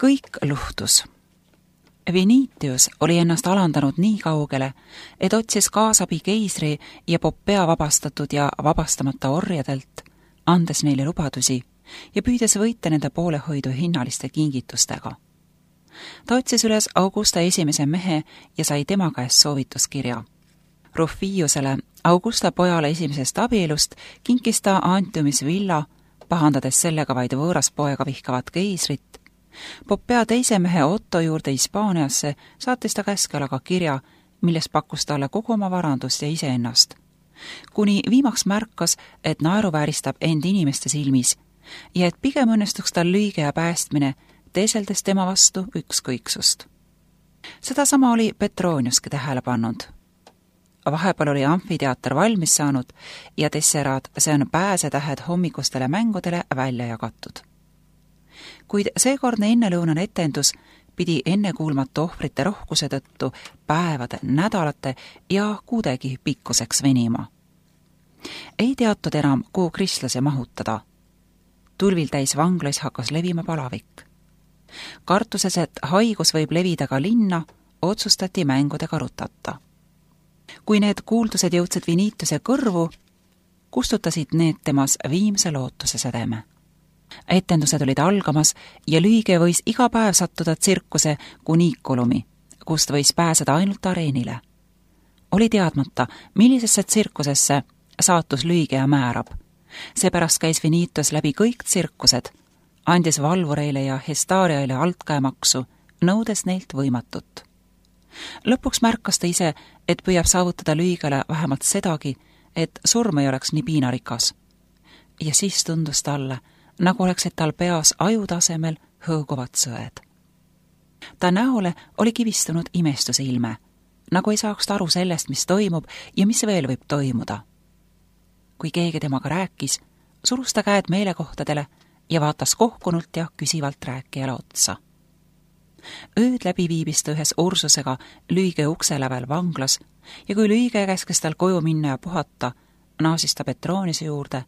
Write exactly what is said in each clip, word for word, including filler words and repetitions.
Kõik luhtus. Venitius oli ennast alandanud nii kaugele, et otsis kaasabi keisri ja Poppea vabastatud ja vabastamata orjadelt, andes neile lubadusi ja püüdes võita nende poolehoidu hinnaliste kingitustega. Ta otsis üles Augusta esimese mehe ja sai tema käest soovituskirja. Rufiusele, Augusta pojale esimesest abielust, kinkis ta Antiumis villa, pahandades sellega vaid võõras poega vihkavat keisrit. Poppea teise mehe Otto juurde Hispaaniasse saatis ta käskelaga kirja, milles pakkus talle kogu oma varandust ja iseennast. Kuni viimaks märkas, et naeruvääristab end inimeste silmis ja et pigem õnnestuks tal lüüge ja päästmine, teeseldes tema vastu ükskõiksust. Seda sama oli Petroniuski tähele pannud. Vahepeal oli amfiteater valmis saanud ja tesseraad, see on pääsetähed hommikustele mängudele välja jagatud. Kuid seekordne ennelõunane etendus pidi ennekuulmatu ohvrite rohkuse tõttu päevade, nädalate ja kuudegi pikkuseks venima. Ei teatud enam, kuhu kristlasi mahutada. Tulvil täis vanglais hakkas levima palavik. Kartuses, et haigus võib levida ka linna, otsustati mängudega rutata. Kui need kuuldused jõudsid Venitiuse kõrvu, kustutasid need temas viimse lootuse sädeme. Etendused olid algamas ja lüüge võis iga päev sattuda tsirkuse kuniikulumi, kust võis pääseda ainult areenile. Oli teadmata, millisesse tsirkusesse saatus lüügeja määrab. Seepärast käis Venitius läbi kõik tsirkused, andis valvureile ja hestaariaile altkäemaksu, nõudes neilt võimatut. Lõpuks märkas ta ise, et püüab saavutada lüügele vähemalt sedagi, et surm ei oleks nii piinarikas. Ja siis tundus talle, nagu oleksid tal peas ajutasemel hõõguvad sõed. Ta näole oli kivistunud imestuse ilme, nagu ei saaks ta aru sellest, mis toimub ja mis veel võib toimuda. Kui keegi temaga rääkis, surus ta käed meelekohtadele ja vaatas kohkunult ja küsivalt rääkijale otsa. Ööd läbi viibis ta ühes Ursusega lüüge ukse lävel vanglas ja kui lüüge käskes tal koju minna ja puhata, naasis ta Petroniuse juurde,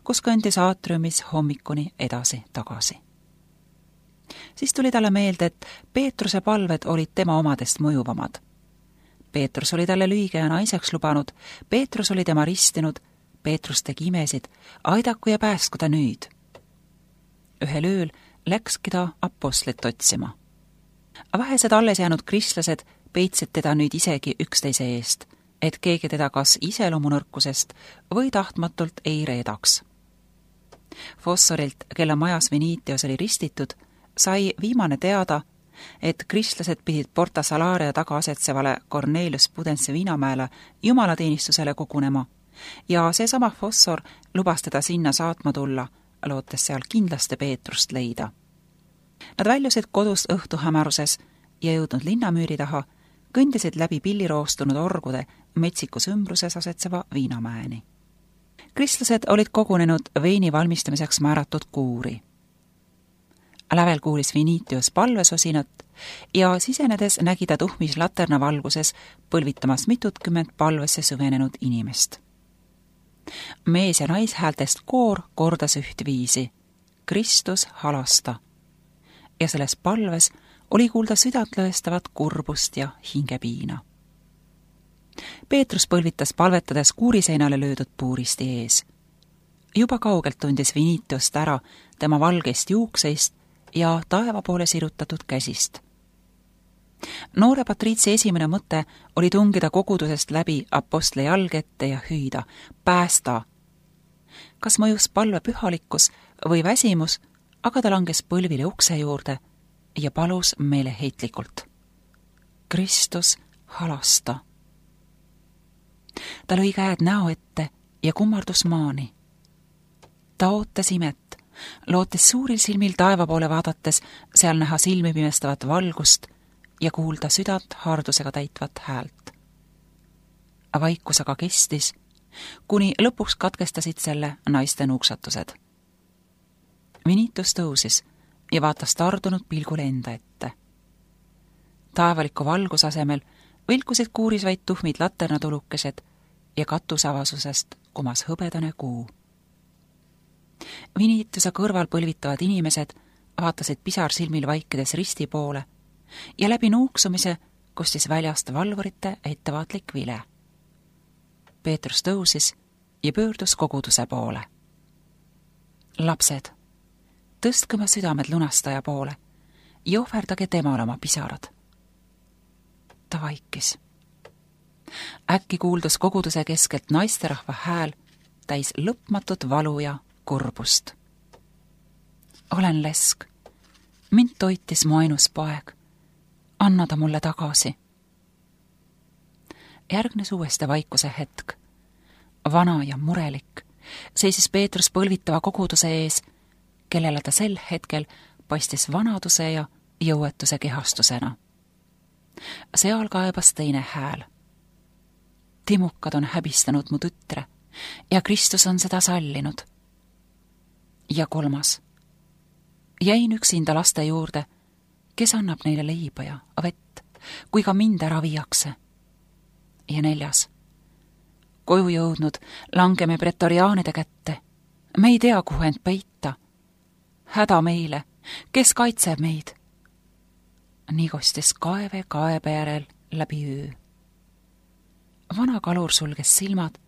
kus kõndis aatriumis hommikuni edasi tagasi. Siis tuli talle meelde, et Peetruse palved olid tema omadest mõjuvamad. Peetrus oli talle lüüge ja naiseks lubanud, Peetrus oli tema ristinud, Peetrus tegi imesid, aidaku ja pääsku ta nüüd. Ühel ööl läkski ta apostlit otsima. Vähesed alles jäänud kristlased peitsid teda nüüd isegi üksteise eest, et keegi teda kas iseloomunõrkusest või tahtmatult ei reedaks. Fossorilt, kelle majas Venitius oli ristitud, sai viimane teada, et kristlased pidid Porta Salaria taga asetsevale Cornelius Pudense Viinamäele jumalateenistusele kogunema ja seesama Fossor lubas teda sinna saatma tulla, lootes seal kindlasti Peetrust leida. Nad väljusid kodust õhtuhämaruses ja jõudnud linnamüüri taha, kõndisid läbi pilliroostunud orgude metsikus ümbruses asetseva Viinamäeni. Kristlased olid kogunenud veini valmistamiseks määratud kuuri. Lävel kuulis Venitius palvesosinat ja sisenedes nägi ta tuhmis laterna valguses põlvitamas mitutkümmend palvesse süvenenud inimest. Mees- ja naishäältest koor kordas ühtviisi: Kristus halasta. Ja selles palves oli kuulda südantlõestavat kurbust ja hingepiina. Peetrus põlvitas palvetades kuuriseinale löödud puuristi ees. Juba kaugelt tundis Venitiust ära tema valgeist juukseist ja taeva poole sirutatud käsist. Noore patriitsi esimene mõte oli tungida kogudusest läbi apostli jalgette ja hüüda: päästa! Kas mõjus palve pühalikkus või väsimus, aga ta langes põlvile ukse juurde ja palus meeleheitlikult: Kristus, halasta! Ta lõi käed näo ette ja kummardus maani. Ta ootas imet, lootes suuril silmil taeva poole vaadates seal näha silmi pimestavat valgust ja kuulda südant haardusega täitvat häält. Vaikus aga kestis, kuni lõpuks katkestasid selle naiste nuuksatused. Venitius tõusis ja vaatas tardunud pilgule enda ette. Taevaliku valgus asemel vilkusid kuuris vaid tuhmid laternatulukesed ja katusavasusest kumas hõbedane kuu. Venitiuse kõrval põlvitavad inimesed vaatasid pisarsilmil vaikides risti poole ja läbi nuuksumise kostis väljast valvurite ettevaatlik vile. Peetrus tõusis ja pöördus koguduse poole. Lapsed, tõstke oma südamed lunastaja poole ja ohverdage temale oma pisarad. Ta vaikis. Äkki kuuldus koguduse keskelt naisterahva hääl täis lõpmatut valu ja kurbust. Olen lesk. Mind toitis mu ainus poeg. Anna ta mulle tagasi. Järgnes uuesti vaikuse hetk. Vana ja murelik seisis Peetrus põlvitava koguduse ees, kellele ta sel hetkel paistis vanaduse ja jõuetuse kehastusena. Seal kaebas teine hääl. Timukad on häbistanud mu tütre ja Kristus on seda sallinud. Ja kolmas. Jäin üksinda laste juurde, kes annab neile leiba ja vett, kui ka mind ära viiakse. Ja neljas. Koju jõudnud langeme pretoriaanide kätte. Me ei tea, kuhu end peita. Häda meile, kes kaitseb meid? Nii kostis kaeve kaebe järel läbi öö. Vana kalur sulges silmad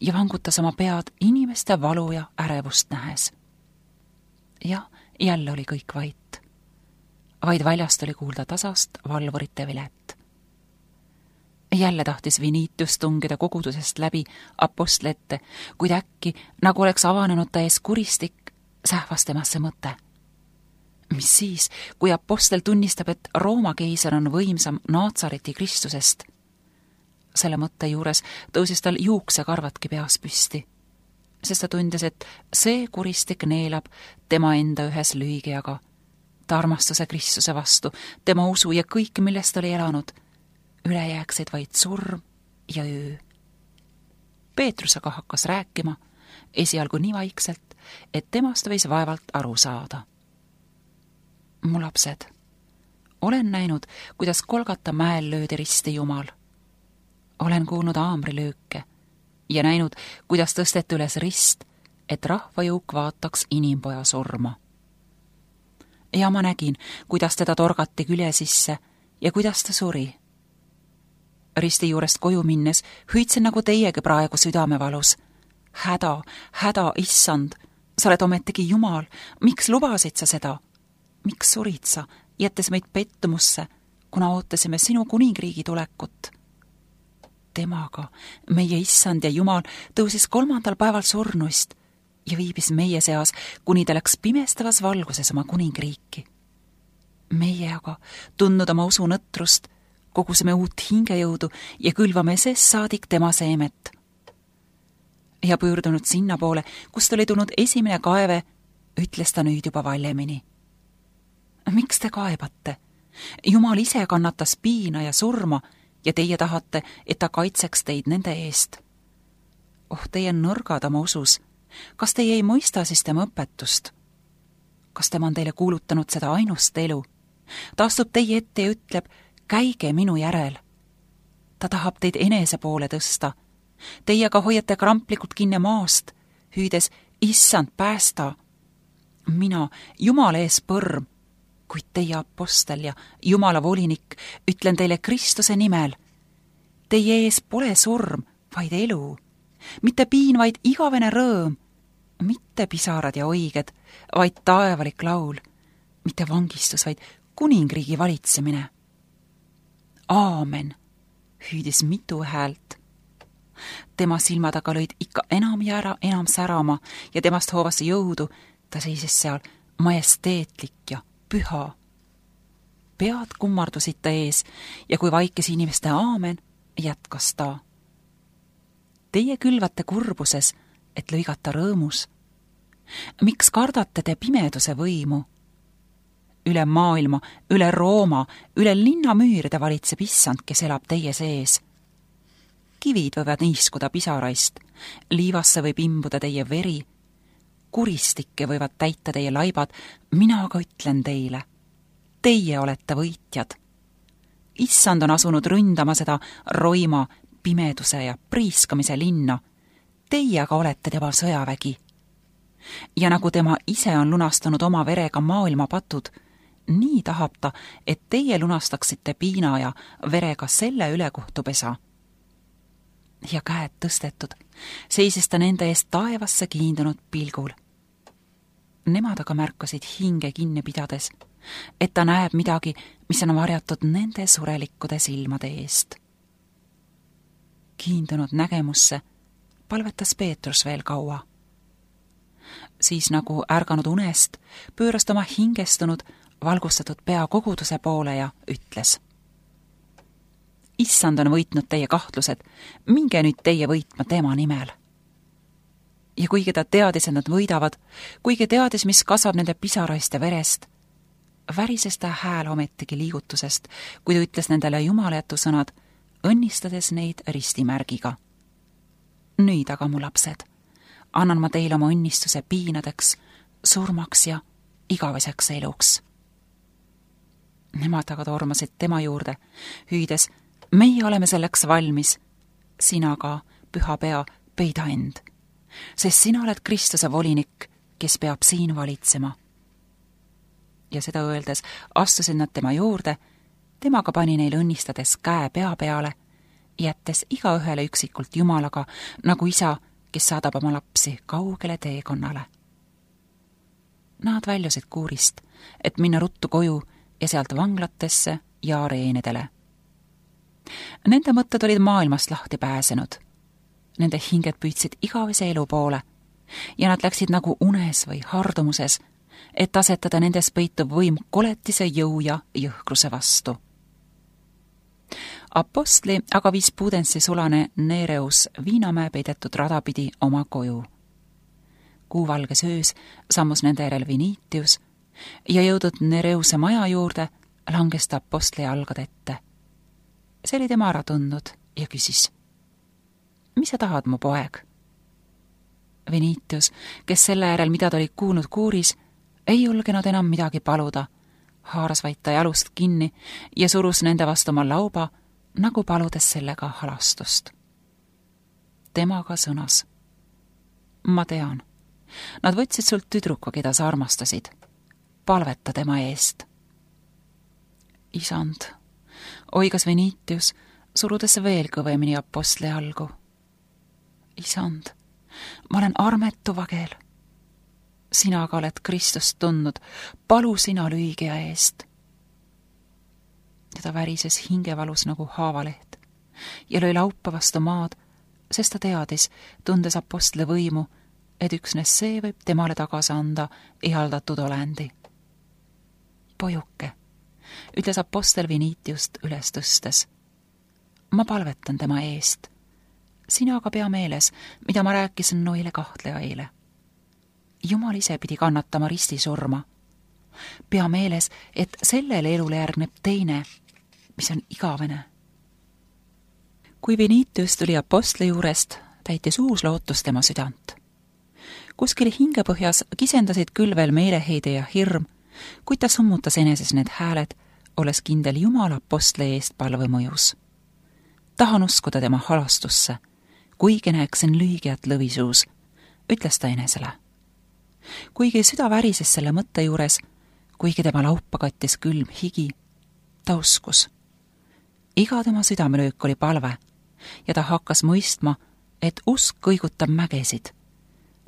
ja vangutas oma pead inimeste valu ja ärevust nähes. Ja jälle oli kõik vait. Vaid väljast oli kuulda tasast valvurite vilet. Jälle tahtis Viniitius tungida kogudusest läbi apostli ette, kuid äkki, nagu oleks avanenud ta ees kuristik, sähvas temasse mõte. Mis siis, kui apostel tunnistab, et Rooma keiser on võimsam Naatsareti Kristusest? Selle mõtte juures tõusis tal juuksekarvatki peas püsti, sest ta tundis, et see kuristik neelab tema enda ühes lüügiaga, ta armastuse Kristuse vastu, tema usu ja kõik, millest oli elanud, üle jääksid vaid surm ja öö. Peetrus aga hakkas rääkima, esialgu nii vaikselt, et temast võis vaevalt aru saada. Mu lapsed, olen näinud, kuidas Kolgata mäel löödi risti Jumal. Olen kuulnud aamrilööke ja näinud, kuidas tõsteti üles rist, et rahvajõuk vaataks inimpoja surma. Ja ma nägin, kuidas teda torgati külje sisse ja kuidas ta suri. Risti juurest koju minnes hüüdsin nagu teiegi praegu südamevalus. Häda, häda, issand, sa oled ometigi Jumal, miks lubasid sa seda? Miks surid sa, jättes meid pettumusse, kuna ootasime sinu kuningriigi tulekut? Temaga, meie issand ja Jumal, tõusis kolmandal päeval surnuist ja viibis meie seas, kuni ta läks pimestavas valguses oma kuningriiki. Meie aga, tundnud oma usu nõtrust, kogusime uut hingejõudu ja külvame sest saadik tema seemet. Ja pöördunud sinna poole, kust oli tulnud esimene kaeve, ütles ta nüüd juba valjemini. Miks te kaebate? Jumal ise kannatas piina ja surma ja teie tahate, et ta kaitseks teid nende eest. Oh, teie nõrgad oma usus. Kas teie ei mõista siis tema õpetust? Kas tema on teile kuulutanud seda ainust elu? Ta astub teie ette ja ütleb, käige minu järel. Ta tahab teid enese poole tõsta. Teie aga hoiate kramplikult kinne maast, hüüdes, issand, päästa. Mina, Jumala ees põrm, kuid teie apostel ja Jumala volinik, ütlen teile Kristuse nimel. Teie ees pole surm, vaid elu. Mitte piin, vaid igavene rõõm. Mitte pisarad ja oiged, vaid taevalik laul. Mitte vangistus, vaid kuningriigi valitsemine. Aamen, hüüdis mitu häält. Tema silmad aga lõid ikka enam ja ära enam särama ja temast hoovas jõudu, ta seisis seal majesteetlik ja püha. Pead kummardusid ta ees ja kui vaikis inimeste aamen, jätkas ta. Teie külvate kurbuses, et lõigata rõõmus. Miks kardate te pimeduse võimu? Üle maailma, üle Rooma, üle linna müüride valitseb issand, kes elab teie sees. Kivid võivad niiskuda pisaraist, liivasse võib imbuda teie veri, kuristikke võivad täita teie laibad, mina aga ütlen teile. Teie olete võitjad. Issand on asunud ründama seda roima, pimeduse ja priiskamise linna. Teie aga olete tema sõjavägi. ja nagu tema ise on lunastanud oma verega maailma patud, nii tahab ta, et teie lunastaksite piina ja verega selle ülekohtupesa. Ja käed tõstetud, seisis ta nende eest taevasse kiindunud pilgul. Nemad aga märkasid hinge kinni pidades, et ta näeb midagi, mis on varjatud nende surelikkude silmade eest. Kiindunud nägemusse palvetas Peetrus veel kaua. Siis nagu ärganud unest, pööras ta oma hingestunud, valgustatud pea koguduse poole ja ütles: Issand on võitnud teie kahtlused, minge nüüd teie võitma tema nimel. Ja kuigi ta teadis, et nad võidavad, kuigi teadis, mis kasvab nende pisaraist ja verest, värises ta hääl ometigi liigutusest, kui ta ütles nendele jumalajätu sõnad, õnnistades neid ristimärgiga. Nüüd aga, mu lapsed, annan ma teile oma õnnistuse piinadeks, surmaks ja igaveseks eluks. Nemad aga tormasid tema juurde, hüüdes: meie oleme selleks valmis, sina ka, püha pea, peida end, sest sina oled Kristuse volinik, kes peab siin valitsema. Ja seda öeldes astusid nad tema juurde, temaga pani neil õnnistades käe pea peale, jättes igaühele üksikult Jumalaga, nagu isa, kes saadab oma lapsi kaugele teekonnale. Nad väljusid kuurist, et minna ruttu koju ja sealt vanglatesse ja areenidele. Nende mõtted olid maailmast lahti pääsenud. Nende hinged püüdsid igavese elu poole ja nad läksid nagu unes või hardumuses, et asetada nendes peitub võim koletise jõu ja jõhkruse vastu. Apostli aga viis Pudensi sulane Nereus Viinamäe peidetud rada pidi oma koju. Kuuvalges öös sammus nende järel Vinitius ja jõudnud Nereuse maja juurde, langes ta apostli jalgade ette. See oli tema ära tundnud ja küsis: mis sa tahad, mu poeg? Vinitius, kes selle järel, mida ta oli kuulnud kuuris, ei julgenud enam midagi paluda, haaras vaid ta jalust kinni ja surus nende vastu oma lauba, nagu paludes sellega halastust. Temaga sõnas: ma tean, nad võtsid sult tüdruku, keda sa armastasid. Palveta tema eest. Isand, oigas Vinitius, surudes veel kõvemini apostli jalgu. Isand, ma olen armetu vagel. Sina aga oled Kristust tundnud, palu sina lüügija eest. Ja ta värises hingevalus nagu haavaleht ja lõi laupa vastu maad, sest ta teadis, tundes apostli võimu, et üksnes see võib temale tagasi anda ihaldatud olendi. Pojuke, ütles apostel Vinitiust üles tõstes. Ma palvetan tema eest. Sina aga pea meeles, mida ma rääkisin noile kahtlejaile. Jumal ise pidi kannatama ristisurma. Pea meeles, et sellele elule järgneb teine, mis on igavene. Kui Vinitius tuli apostli juurest, täitis uus lootus tema südant. Kuskil hingepõhjas kisendasid küll veel meeleheide ja hirm, kuid ta summutas eneses need hääled, olles kindel Jumala apostli eest palve mõjus. Tahan uskuda tema halastusse, kuigi näeksin lüügiat lõvisuus, ütles ta enesele. Kuigi süda värises selle mõtte juures, kuigi tema laupa kattis külm higi, ta uskus. Iga tema südamelöök oli palve ja ta hakkas mõistma, et usk kõigutab mägesid,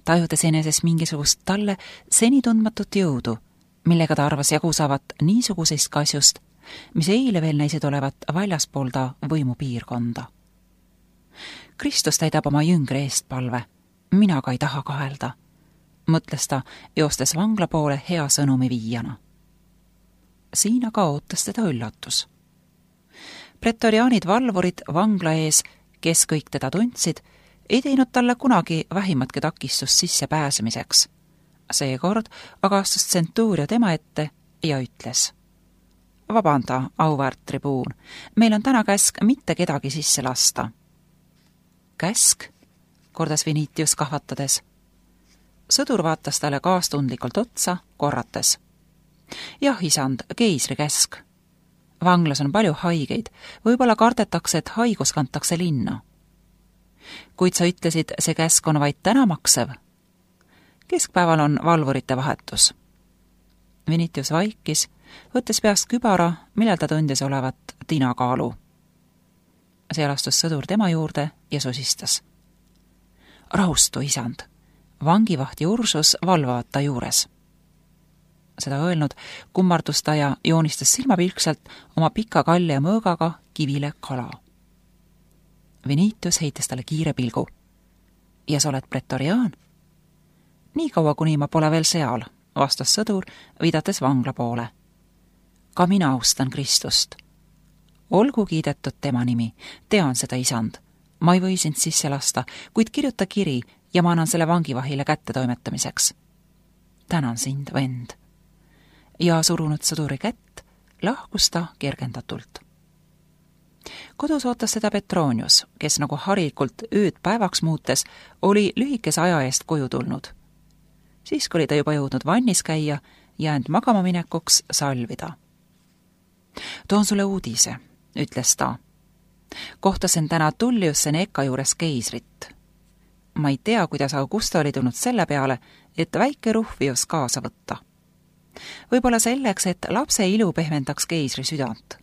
tajudes eneses mingisugust talle seni tundmatut jõudu, millega ta arvas jagu saavat niisugusest kasjust, mis eile veel näisid olevat väljaspool ta võimupiirkonda. Kristus täidab oma jüngri eest palve, mina ka ei taha kahelda, mõtles ta, joostes vangla poole hea sõnumi viijana. Siin aga ootas teda üllatus. Pretoriaanid valvurid vangla ees, kes kõik teda tundsid, ei teinud talle kunagi vähimatki takistust sisse pääsemiseks. Seekord aga astus tsentuuria tema ette ja ütles: vabanda, auväärt tribuun, meil on täna käsk mitte kedagi sisse lasta. Käsk? Kordas Vinitius kahvatades. Sõdur vaatas talle kaastundlikult otsa, korrates: jah, isand, keisri käsk. Vanglas on palju haigeid, võib-olla kardetakse, et haigus kantakse linna. Kuid sa ütlesid, see käsk on vaid täna maksev. Keskpäeval on valvurite vahetus. Venitius vaikis, võttes peast kübara, millal ta tundis olevat tinakaalu. Seal astus sõdur tema juurde ja sosistas. Rahustu, isand! Vangivahti Ursus valvavad ta juures. Seda öelnud kummardus ta ja joonistas silmapilkselt oma pika kalli ja mõõgaga kivile kala. Venitius heitis talle kiire pilgu. Ja sa oled pretoriaan? Nii kaua, kuni ma pole veel seal, vastas sõdur, viidates vangla poole. Ka mina austan Kristust. Olgu kiidetud tema nimi, tean seda, isand. Ma ei või sind sisse lasta, kuid kirjuta kiri ja ma annan selle vangivahile kätte toimetamiseks. Tänan sind, vend. Ja surunud sõduri kätt, lahkus ta kergendatult. Kodus ootas seda Petronius, kes nagu harikult ööd päevaks muutes oli lühikese aja eest koju tulnud. Siis oli ta juba jõudnud vannis käia ja end magama minekuks salvida. Toon sulle uudise, ütles ta. Kohtasin täna Tullius Seneca juures keisrit. Ma ei tea, kuidas Augusta oli tulnud selle peale, et väike Ruhvius kaasa võtta. Võib-olla selleks, et lapse ilu pehmendaks keisri südant.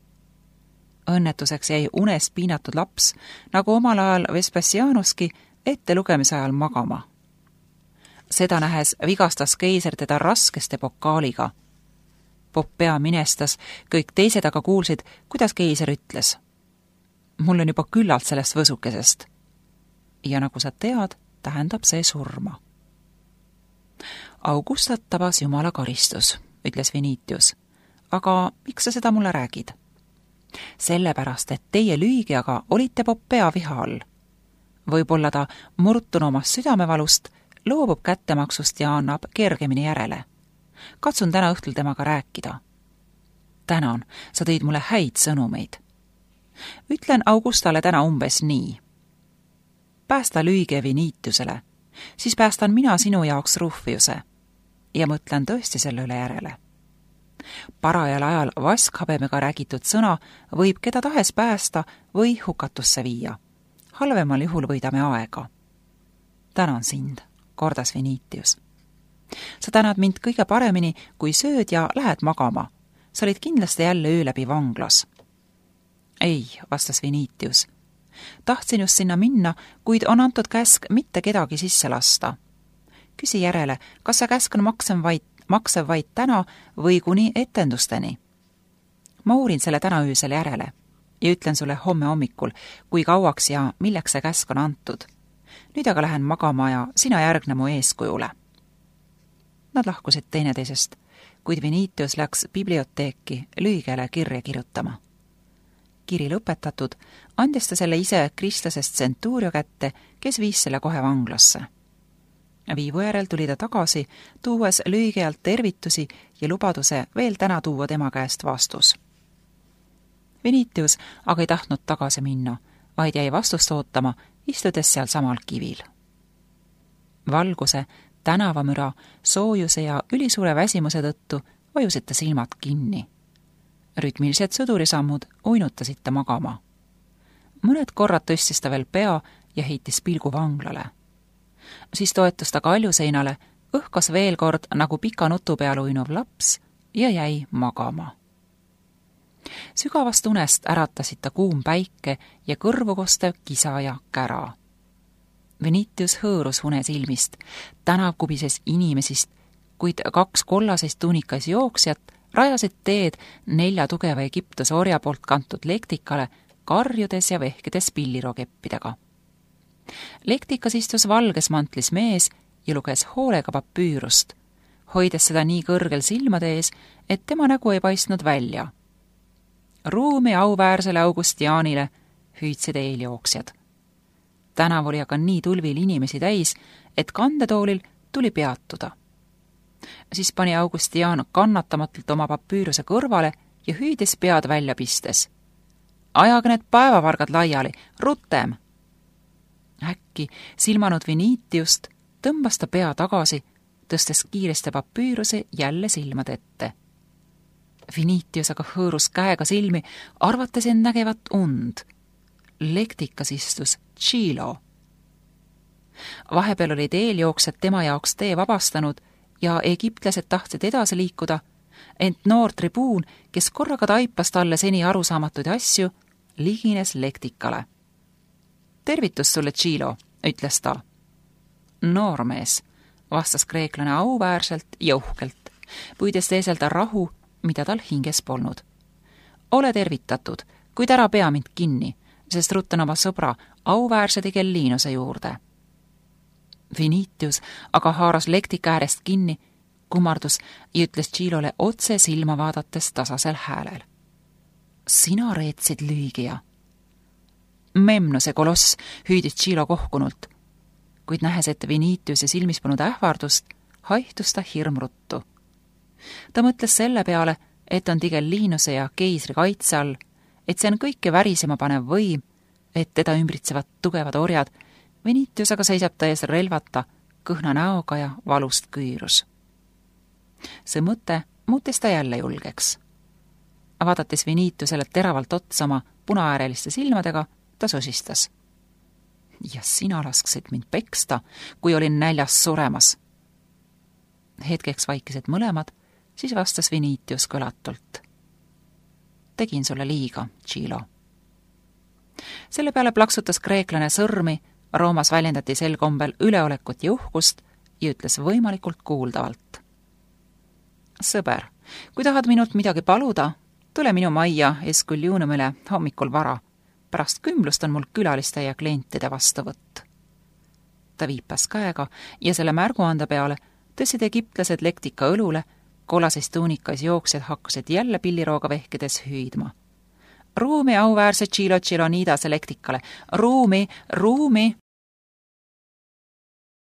Õnnetuseks jäi unest piinatud laps, nagu omal ajal Vespasianuski, ette lugemise ajal magama. Seda nähes vigastas keiser teda raskeste pokaaliga. Poppea minestas, kõik teised aga kuulsid, kuidas keiser ütles. Mul on juba küllalt sellest võsukesest. Ja nagu sa tead, tähendab see surma. Augustat tabas Jumala karistus, ütles Venitius. Aga miks sa seda mulle räägid? Sellepärast, et teie lüügiaga olite Poppea viha all. Võib-olla ta murtun omast südamevalust, loobub kättemaksust ja annab kergemini järele. Katsun täna õhtul temaga rääkida. Tänan, sa tõid mulle häid sõnumeid. Ütlen Augustale täna umbes nii. Päästa lüüge Venitiusele, siis päästan mina sinu jaoks Ruhviuse ja mõtlen tõesti selle üle järele. Parajal ajal vaskhabemega räägitud sõna võib keda tahes päästa või hukatusse viia. Halvemal juhul võidame aega. Tänan sind, kordas Venitius. Sa tänad mind kõige paremini, kui sööd ja lähed magama. Sa olid kindlasti jälle öö läbi vanglas. Ei, vastas Venitius. Tahtsin just sinna minna, kuid on antud käsk mitte kedagi sisse lasta. Küsi järele, kas sa käsk on maksev vaid, maksev vaid täna või kuni etendusteni. Ma uurin selle täna öösel järele ja ütlen sulle homme hommikul, kui kauaks ja milleks see käsk on antud. Nüüd aga lähen magama ja sina järgne mu eeskujule. Nad lahkusid teineteisest, kuid Venitius läks biblioteeki lühigele kirja kirjutama. Kiri lõpetatud, andis ta selle ise kristlasest Centurio kätte, kes viis selle kohe vanglasse. Viivu järel tuli ta tagasi, tuues lühigealt tervitusi ja lubaduse veel täna tuua tema käest vastus. Venitius aga ei tahtnud tagasi minna, vaid jäi vastust ootama, istudes seal samal kivil. Valguse, tänavamüra, soojuse ja ülisuure väsimuse tõttu vajusid ta silmad kinni. Rütmilised sõdurisammud uinutasid ta magama. Mõned korrad tõstis ta veel pea ja heitis pilgu vanglale. Siis toetus ta kaljuseinale, õhkas veel kord nagu pika nutu peal uinuv laps ja jäi magama. Sügavast unest äratasid ta kuum päike ja kõrvu kostev kisa ja kära. Venitius hõõrus unes ilmist, tänav kubises inimesist, kuid kaks kollasest tuunikas jooksjat rajasid teed nelja tugeva Egiptuse orja poolt kantud lektikale, karjudes ja vehkides pillirokeppidega. Lektikas istus valges mantlis mees ja luges hoolega papüürust, hoides seda nii kõrgel silmade ees, et tema nägu ei paistnud välja. Ruumi auväärsele Augustianile hüüdsid eeljooksjad. Tänav oli aga nii tulvil inimesi täis, et kandetoolil tuli peatuda. Siis pani Augustian kannatamatult oma papüüruse kõrvale ja hüüdis pead välja pistes. Ajage need päevavargad laiali, rutem! Äkki silmanud Venitiust tõmbas ta pea tagasi, tõstes kiiresti papüüruse jälle silmad ette. Venitius aga hõõrus käega silmi, arvates end nägevat und. Lektikas istus Chilo. Vahepeal olid eeljooksjad tema jaoks tee vabastanud ja egiptlased tahtsid edasi liikuda, ent noor tribuun, kes korraga taipas talle seni arusaamatuid asju, ligines lektikale. Tervitus sulle, Tšilo, ütles ta. Noormees, vastas kreeklane auväärselt ja uhkelt, püüdes teeselda rahu, mida tal hinges polnud. Ole tervitatud, kuid ära pea mind kinni, sest ruttan oma sõbra auväärse Tigellinuse juurde. Vinitius aga haaras lektika äärest kinni, kummardus ja ütles Tšilole otse silma vaadates tasasel häälel. Sina reetsid lüügija. Memnose koloss hüüdis Tšilo kohkunult, kuid nähes ette Vinitiuse silmis polnud ähvardust, haihtus ta hirmruttu. Ta mõtles selle peale, et on Tigellinuse ja keisri kaitse all, et see on kõike värisema panev võim, et teda ümbritsevad tugevad orjad, Vinitius aga seisab ta ees relvata, kõhna näoga ja valust küürus. See mõte muutis ta jälle julgeks. Vaadates Vinitiusele teravalt otsama punaääreliste silmadega, ta sosistas. Ja sina lasksid mind peksta, kui olin näljas suremas. Hetkeks vaikisid mõlemad, siis vastas Vinitius kõlatult. Tegin sulle liiga, Tšilo. Selle peale plaksutas kreeklane sõrmi, Roomas väljendati sel kombel üleolekut ja uhkust ja ütles võimalikult kuuldavalt. Sõber, kui tahad minult midagi paluda, tule minu majja Esculiunumile hommikul vara. Pärast kümblust on mul külaliste ja klientide vastuvõtt. Ta viipas käega ja selle märguande peale tõssid egiptlased lektika õlule, kollases tuunikas jooksjad hakkasid jälle pillirooga vehkides hüüdma. Ruumi auväärse Tšilo Tšilonidase lektikale, ruumi, ruumi!